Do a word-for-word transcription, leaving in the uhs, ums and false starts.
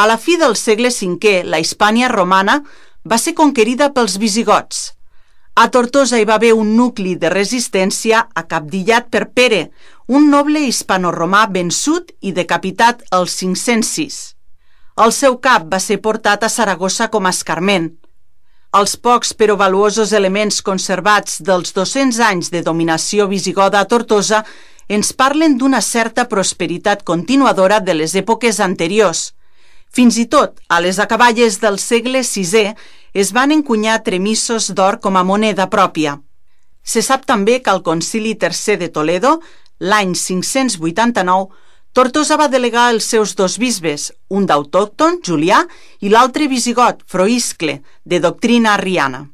A la fi del segle cinquè, la Hispània romana va ser conquerida pels visigots. A Tortosa hi va haver un nucli de resistència acapdillat per Pere, un noble hispano-romà vençut i decapitat al cinc-cents sis. El seu cap va ser portat a Saragossa com a escarment. Els pocs però valuosos elements conservats dels dos-cents anys de dominació visigoda a Tortosa ens parlen d'una certa prosperitat continuadora de les èpoques anteriors. Fins i tot, a les acaballes del segle sisè, es van encunyar tremissos d'or com a moneda pròpia. Se sap també que al Concili tercer de Toledo, l'any cinc-cents vuitanta-nou, Tortosa va delegar els seus dos bisbes, un d'autòcton, Julià, i l'altre visigot, Froiscle, de doctrina arriana.